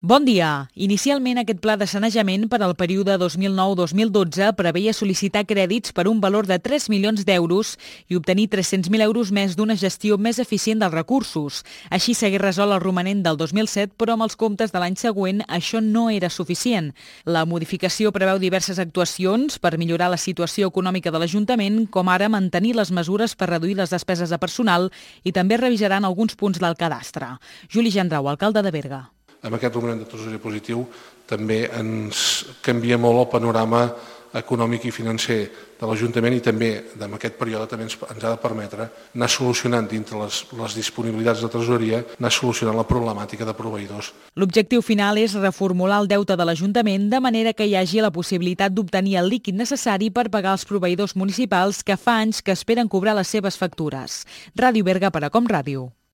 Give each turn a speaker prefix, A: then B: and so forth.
A: Bon dia. Inicialment, aquest pla de sanejament per al període 2009-2012 preveia sol·licitar crèdits per un valor de 3 milions d'euros i obtenir 300.000 euros més d'una gestió més eficient dels recursos. Així s'hagués resolt el romanent del 2007, però amb els comptes de l'any següent això no era suficient. La modificació preveu diverses actuacions per millorar la situació econòmica de l'Ajuntament, com ara mantenir les mesures per reduir les despeses de personal i també revisaran alguns punts del cadastre. Juli Gendrau, alcalde de Berga.
B: Amb aquest romanent de tresoreria positiu també ens canvia molt el panorama econòmic i financer de l'Ajuntament i també en aquest període també ens ha de permetre anar solucionant dintre les disponibilitats de tresoreria, anar solucionant la problemàtica de proveïdors.
A: L'objectiu final és reformular el deute de l'Ajuntament de manera que hi hagi la possibilitat d'obtenir el líquid necessari per pagar els proveïdors municipals que fa anys que esperen cobrar les seves factures. Ràdio Berga per a Com Ràdio.